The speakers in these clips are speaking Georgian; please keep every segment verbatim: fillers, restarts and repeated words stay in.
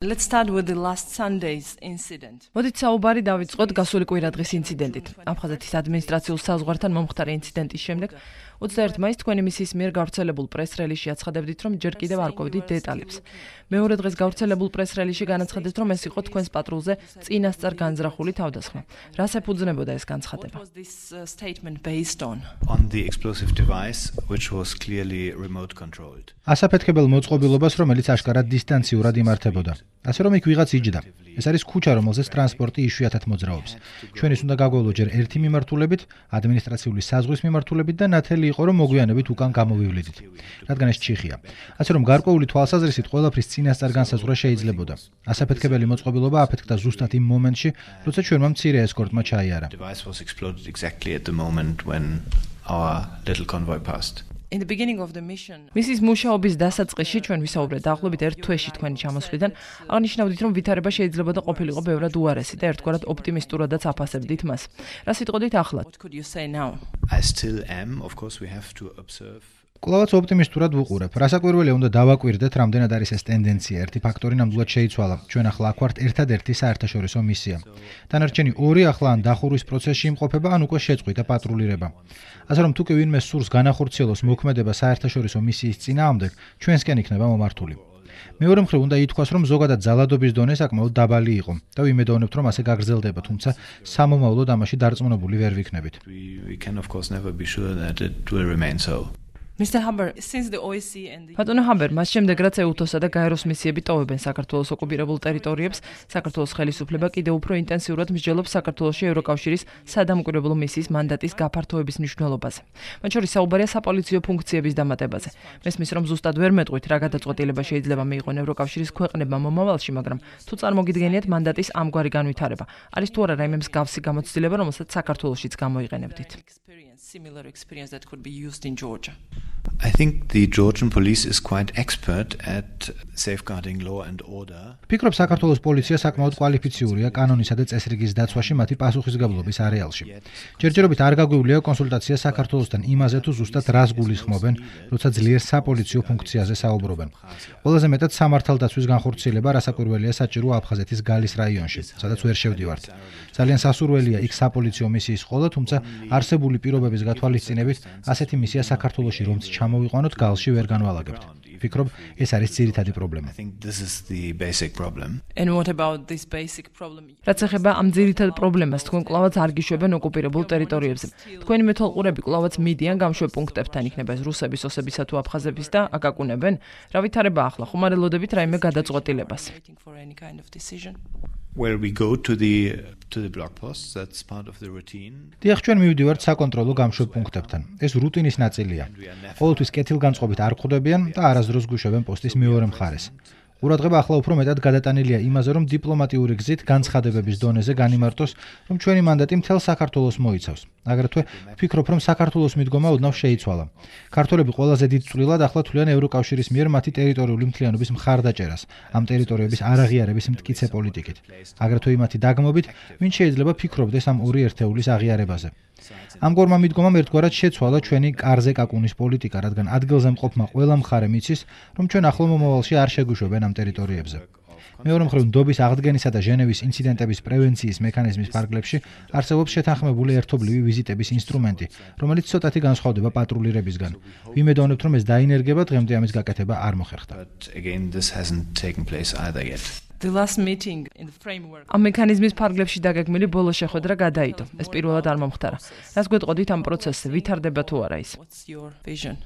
Let's start with the last Sunday's incident. მოდით საუბარი დავიწყოთ გასული კვირადღის ინციდენტით. აფხაზეთის ადმინისტრაციულ საზღვართან მომხდარი ინციდენტის შემდეგ ოცდაერთი მაისს თქვენი მისიის მიერ გავრცელებულ პრეს-რელიზში აცხადებდით, რომ ჯერ კიდევ არ ყვებდით დეტალებს. მეორე დღეს გავრცელებულ პრეს-რელიზში განაცხადეთ, რომ ეს იყო თქვენს პატრულზე წინასწარ განზრახული თავდასხმა. რას ეფუძნებოდა ეს განცხადება? Was this uh, statement based on? On the explosive device, which was clearly remote controlled. ასაფეთქებელ მოწყობილობას, რომელიც აშკარად დისტანციურად იმართებოდა. ასე რომ იქ ვიღაც იჯდა. ეს არის ქუჩა, რომელზეც ტრანსპორტი იშვიათად მოძრაობს. ჩვენის უნდა გაგვევლო ჯერ ერთი მიმართულებით, ადმინისტრაციული საზღვრის მიმართულებით და ნათელი იყო, რომ მოგვიანებით უკან გამოვივლიდით. რადგან ეს ჩიხია. ასე რომ გარკვეული თვალსაზრისით ყველაფრის წინასწარ განსაზღვრა შეიძლებოდა. ასაფეთქებელი მოწყობილობა აფეთქდა ზუსტად იმ მომენტში, როცა ჩვენმა მცირე ესკორტმა ჩაიარა. The device was exploded exactly at the moment when our little convoy passed. In the beginning of the mission, მისის მუშაობის დასაწყისში ჩვენ ვისაუბრეთ დაახლოებით ერთ თვეში თქვენი ჩამოსვლიდან, აღნიშნავდით, რომ ვითარება შეიძლება და ყოფილიყო ბევრად უარესი და ერთგვარად ოპტიმისტურადაც აფასებდით მას. რა სიტყვით ახლა? what could you say now? I still am, of course we have to observe. კვლავაც ოპტიმისტურად ვუყურებ. რასაკვირველია უნდა დავაკვირდეთ, რამდენად არის ეს ტენდენცია. ერთი ფაქტორი ნამდვილად შეიცვალა. ჩვენ ახლა აქ ვართ ერთადერთი საერთაშორისო მისია. დანარჩენი ორი ახლა ან დახურვის პროცესში იმყოფება, ან უკვე შეწყვიტა პატრულირება. ასე რომ თუ კი ვინმე სურს განახორციელოს მოქმედება საერთაშორისო მისიის წინააღმდეგ, ჩვენსკენ იქნება მომართული. მეორე მხრივ უნდა ითქვას, რომ ზოგადად ძალადობის დონე საკმაოდ დაბალი იყო და ვიმედოვნებთ, რომ ასე გაგრძელდება, თუმცა სამომავლოდ ამაში დარწმუნებული ვერ ვიქნებით. We, we can of course never be sure that it will remain so. Mister Haber, since the O S C and the ბატონო ჰაბერ, მას შემდეგ რაც ეუთოსა და გაეროს მისიები ტოვებენ საქართველოს ოკუპირებულ ტერიტორიებს, საქართველოს ხელისუფლება კიდევ უფრო ინტენსიურად მსჯელობს საქართველოში ევროკავშირის სადამკვირვებლო მისიის მანდატის გაფართოების მნიშვნელობაზე. მათ შორის საუბარია საპოლიციო ფუნქციების დამატებაზე. მესმის, რომ ზუსტად ვერ მეტყვით, რა გადაწყვეტილება შეიძლება მიიღონ ევროკავშირის ქვეყნებმა მომავალში, მაგრამ თუ წარმოგიდგენიათ მანდატის ამგვარი განვითარება, არის თუ არა რაიმე მსგავსი გამოცდილება, რომელსაც საქართველოშიც გამოიყენებდით? experience, similar experience that could be used in Georgia. I think the Georgian police is quite expert at safeguarding law and order. ფიქრობ, საქართველოს პოლიცია საკმაოდ კვალიფიციურია კანონისა და წესრიგის დაცვაში მათი პასუხისმგებლობის არეალში. ჯერჯერობით არ გაგვივლია კონსულტაცია საქართველოსთან იმაზე, თუ ზუსტად რას გულისხმობენ, როცა ძლიერ საპოლიციო ფუნქციაზე საუბრობენ. ყველაზე მეტად სამართალდაცვის განხორციელება რასაკვირველია საჭირო აფხაზეთის გალის რაიონში, სადაც ვერ შევდივართ. ძალიან სასურველია იქ საპოლიციო მისიის ყოლა, თუმცა არსებული პირობების გათვალისწინებით ასეთი მისია საქართველოში რომც ჩამოვიყვანოთ, გალში ვერ განვალაგებთ. ვფიქრობ, ეს არის ძირითადი პრობლემა. I think this is the basic problem. And what about this basic problem? რაც ეხება ამ ძირითად პრობლემას, თქვენ კვლავაც არ გიშვებენ ოკუპირებულ ტერიტორიებზე. თქვენი მეთვალყურები კვლავაც მიდიან გამშვებ პუნქტებთან, იქნება ეს რუსების, ოსებისა თუ აფხაზების და აკაკუნებენ. რა ვითარება ახლა? ხომ არ ელოდებით რაიმე გადაწყვეტილებას? Waiting for any kind of decision? Well, we go to the to the blog posts. That's part of the routine. დიახ, ჩვენ მივდივართ საკონტროლო გამშვებ პუნქტებთან. ეს რუტინის ნაწილია. ყოველთვის კეთილგანწყობით არ ხვდებიან და არასდროს გვიშვებენ პოსტის მეორე მხარეს. ყურადღება ახლა უფრო მეტად გადატანილია იმაზე, რომ დიპლომატიური გზით განცხადებების დონეზე განიმარტოს, რომ ჩვენი მანდატი მთელ საქართველოს მოიცავს. აგრეთვე ვფიქრობ, რომ საქართველოს მიდგომა ოდნავ შეიცვალა. ქართველები ყველაზე დიდ წვლილად ახლა თვლიან ევროკავშირის მიერ მათი ტერიტორიული მთლიანობის მხარდაჭერას, ამ ტერიტორიების არაღიარების მტკიცე პოლიტიკით. აგრეთვე იმათი დაგმობით, ვინ შეიძლება ფიქრობდეს ამ ორი ერთეულის აღიარებაზე. ამგვარმა მიდგომამ ერთგვარად შეცვალა ჩვენი კარზე კაკუნის პოლიტიკა, რადგან ადგილზე მყოფმა ყველა მხარე მიცის, რომ ჩვენ ახლო მომავალში არ შეგვიშვებენ ამ ტერიტორიებზე. მეორე მხრივ, ნდობის აღდგენისა და ჟენევის ინციდენტების პრევენციის მექანიზმის ფარგლებში არსებობს შეთანხმებული ერთობლივი ვიზიტების ინსტრუმენტი, რომელიც ცოტათი განსხვავდება პატრულირებისგან. ვიმედოვნებთ, რომ ეს დაინერგება, დღემდე ამის გაკეთება არ მოხერხდა. But again, this hasn't taken place either yet. The last meeting in the framework. ამ მექანიზმის ფარგლებში დაგეგმილი ბოლო შეხვედრა გადაიდო. ეს პირველად არ მომხდარა. რას გვეტყოდით ამ პროცესზე? ვითარდება თუ არა ის? What's your vision?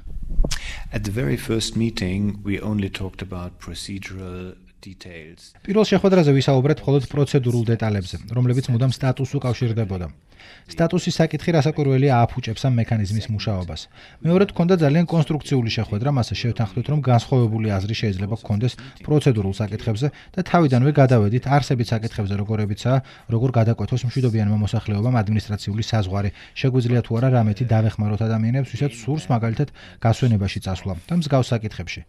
At the very first meeting, we only talked about procedural details. პირველ შეხვედრაზე ვისაუბრეთ მხოლოდ პროცედურულ დეტალებზე, რომლებიც მუდამ სტატუსს უკავშირდებოდა. სტატუსის საკითხი რასაკვირველია ააფუჭებს ამ მექანიზმის მუშაობას. მეორედ ჰქონდა ძალიან კონსტრუქციული შეხვედრა, მასე შევთანხმდით, რომ განსხვავებული აზრი შეიძლება გქონდეს პროცედურულ საკითხებზე და თავიდანვე გადავედით არსებით საკითხებზე, როგორებიცაა, როგორ გადაკვეთოს მშვიდობიანმა მოსახლეობამ ადმინისტრაციული საზღვარი, შეგვიძლია თუ არა რამეთი დავეხმაროთ ადამიანებს, ვისაც სურს მაგალითად გასვენებაში წასვლა და მსგავს საკითხებში.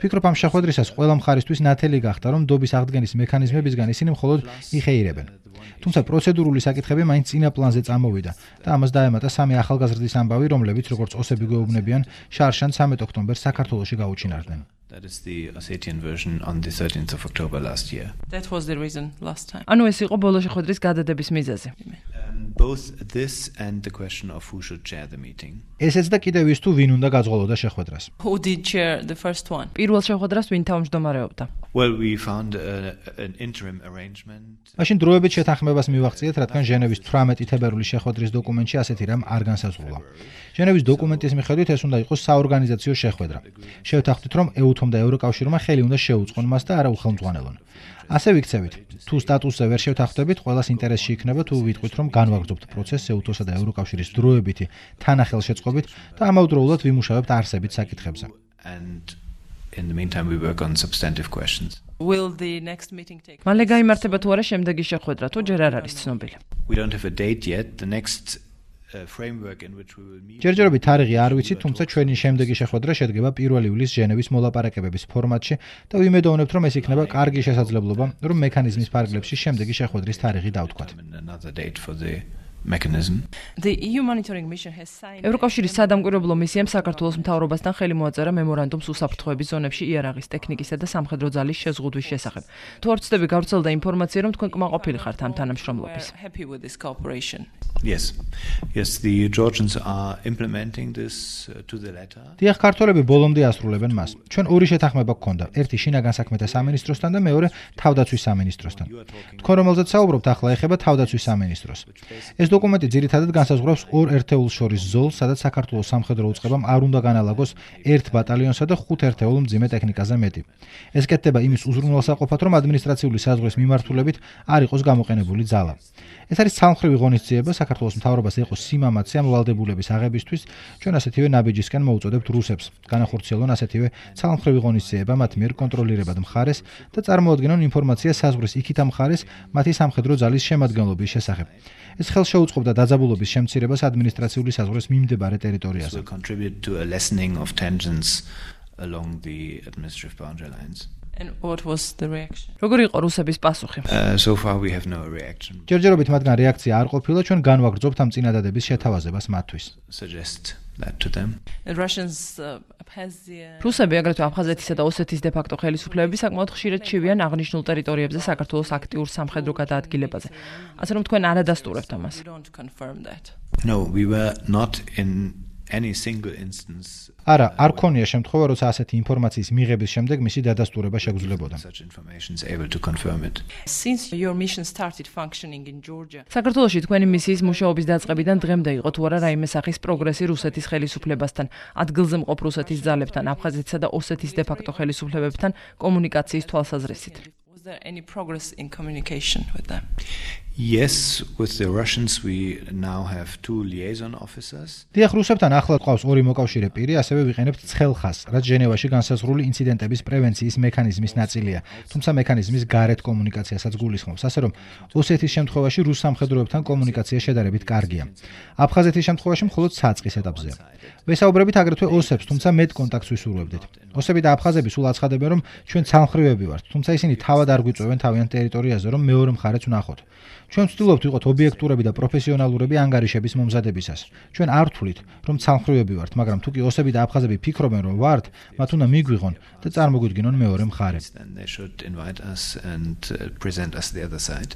ვფიქრობ, ამ შეხვედრისას ყველა მხარისთვის ნათელი გახდა, რომ ნდობის აღდგენის მექანიზმებისგან ისინი მხოლოდ იხეირებენ. თუმცა პროცედურული საკითხები მაინც წინა პლანზე წამოვიდა და ამას დაემატა სამი ახალგაზრდის ამბავი, რომლებიც როგორც ოსები გვეუბნებიან, შარშან ცამეტ ოქტომბერს საქართველოში გაუჩინარდნენ. That is the Ossetian version on the thirteenth of October last year. That was the reason last time. ანუ ეს იყო ბოლო შეხვედრის გადადების მიზეზი. Um, both this and the question of who should chair the meeting. ესეც და კიდევ ის თუ ვინ უნდა გაძღოლოდა შეხვედრას. Who did chair the first one? პირველ შეხვედრას ვინ თავმჯდომარეობდა? Well, we found a, an interim arrangement. მაშინ დროებით შეთანხმებას მივაღწიეთ, რადგან ჟენევის თვრამეტი თებერვლის შეხვედრის დოკუმენტში ასეთი რამ არ განსაზღვრულა. ჟენევის დოკუმენტის მიხედვით ეს უნდა იყოს საორგანიზაციო შეხვედრა. შევთანხმდით, რომ ეუთომ და ევროკავშირმა ხელი უნდა შეუწყონ მას და არა უხელმძღვანელონ. ასე ვიქცევით, თუ სტატუსზე ვერ შევთანხმდებით, ყველას ინტერესში იქნება თუ ვიტყვით, რომ განვაგრძობთ პროცესს ეუთოსა და ევროკავშირის დროებითი თანახელშეწყობით და ამავდროულად ვიმუშავებთ არსებით საკითხებზე. And in the meantime, we work on substantive questions. Will the next meeting take? მალე გაიმართება თუ არა შემდეგი შეხვედრა, თუ ჯერ არ არის ცნობილი. We don't have a date yet. The next uh, framework in which we will meet. ჯერჯერობით თარიღი არ ვიცით, თუმცა ჩვენი შემდეგი შეხვედრა შედგება პირველი ივლისის ჟენევის მოლაპარაკებების ფორმატში და ვიმედოვნებთ, რომ ეს იქნება კარგი შესაძლებლობა, რომ მექანიზმის ფარგლებში შემდეგი შეხვედრის თარიღი დავთქვათ. Another date for the mechanism. The E U monitoring mission has signed. ევროკავშირის სადამკვირვებლო მისიამ საქართველოს მთავრობასთან ხელი მოაწერა მემორანდუმს უსაფრთხოების ზონებში იარაღის ტექნიკისა და სამხედრო ძალის შეზღუდვის შესახებ. თუ არ ვცდები, გავრცელდა ინფორმაცია, რომ თქვენ კმაყოფილი ხართ ამ თანამშრომლობის. We're happy with this cooperation. Yes. Yes, the Georgians are implementing this uh, to the letter. დიახ, ქართველები ბოლომდე ასრულებენ მას. ჩვენ ორი შეთანხმება გქონდა. ერთი შინაგან საქმეთა სამინისტროსთან და მეორე თავდაცვის სამინისტროსთან. თქვენ რომელზეც საუბრობთ, ახლა ეხება თავდაცვის სამინისტროს. ეს დოკუმენტი ძირითადად განსაზღვრავს ორ ერთეულს შორის ზოლს, სადაც საქართველოს სამხედრო უწყებამ არ უნდა განალაგოს ერთ ბატალიონსა და ხუთ ერთეულ მძიმე ტექნიკაზე მეტი. ეს კეთდება იმის უზრუნველსაყოფად, რომ ადმინისტრაციული საზღვრის მიმართულებით არ იყოს გამოყენებული ძალა. ეს არის ცალმხრივი ღონისძიება საქართველოს მთავრობას ეყოს სიმამაცე ამ ვალდებულების აღებისთვის, ჩვენ ასეთივე ნაბიჯისკენ მოუწოდებთ რუსებს. განახორციელონ ასეთივე ცალმხრივი ღონისძიება მათ მიერ კონტროლირებად მხარეს და წარმოადგენონ ინფორმაცია საზღვრის იქით ამ მხარეს მათი სამხედრო ძალის შემადგენლობის შესახებ. ეს ხელს შეუწყობდა დაძაბულობის შემცირებას ადმინისტრაციული საზღვრის მიმდებარე ტერიტორიაზე. Will contribute to a lessening of tensions along the administrative boundary lines. And what was the reaction? როგორი იყო რუსების პასუხი? Uh, so far we have no reaction. ჯერჯერობით მათგან რეაქცია არ ყოფილა, ჩვენ განვაგრძობთ ამ წინადადების შეთავაზებას მათთვის. Suggest that to them. The Russians uh, has the uh, რუსები აგრეთვე აფხაზეთისა და ოსეთის დე-ფაქტო ხელისუფლებები საკმაოდ ხშირად ჩივიან აღნიშნულ ტერიტორიებზე საქართველოს აქტიურ სამხედრო გადაადგილებაზე. ასე რომ თქვენ არ ადასტურებთ ამას. we don't confirm that. No, we were not in any single instance. არა, არ ქონია შემთხვევა, როცა ასეთი ინფორმაციის მიღების შემდეგ მისი დადასტურება შეგრძლებოდა. Such information is able to confirm it. Since your mission started functioning in Georgia, საქართველოში თქვენი მისიის მუშაობის დაწყებიდან დღემდე იყო თუ არა რაიმე სახის პროგრესი რუსეთის ხელისუფლებასთან, ადგილზე მყოფ რუსეთის ძალებთან, აფხაზეთისა და ოსეთის დე-ფაქტო ხელისუფლებებთან კომუნიკაციის თვალსაზრისით. was there any progress in communication with them? Yes, with the Russians we now have two liaison officers. დიახ, რუსებთან ახლად ყავს ორი მოკავშირე პირი, ასევე ვიყენებთ ცხელხას, რაც ჟენევაში განსაზღვრული ინციდენტების პრევენციის მექანიზმის ნაწილია, თუმცა მექანიზმის გარეთ კომუნიკაციასაც გულისხმობს, ასე რომ ოსეთის შემთხვევაში რუს სამხედროებთან კომუნიკაცია შედარებით კარგია. აფხაზეთის შემთხვევაში მხოლოდ საწყის ეტაპზეა. ვესაუბრებით აგრეთვე ოსებს, თუმცა მეტ კონტაქტს ვისურვებდით. ოსები და აფხაზები სულ აცხადებენ, რომ ჩვენ ცალმხრივები ვართ, თუმცა ისინი თავად არ გვიწვევენ თავიანთ ტერიტორიაზე, რომ მეორე მხარეც ვნახოთ. ჩვენ ვცდილობთ ვიყოთ ობიექტურები და პროფესიონალურები ანგარიშების მომზადებისას. ჩვენ არ ვთვლით, რომ ცალმხრივები ვართ, მაგრამ თუ კი ოსები და აფხაზები ფიქრობენ, რომ ვართ, მათ უნდა მიგვიღონ და წარმოგვიდგინონ მეორე მხარე. Then they should invite us and uh, present us the other side.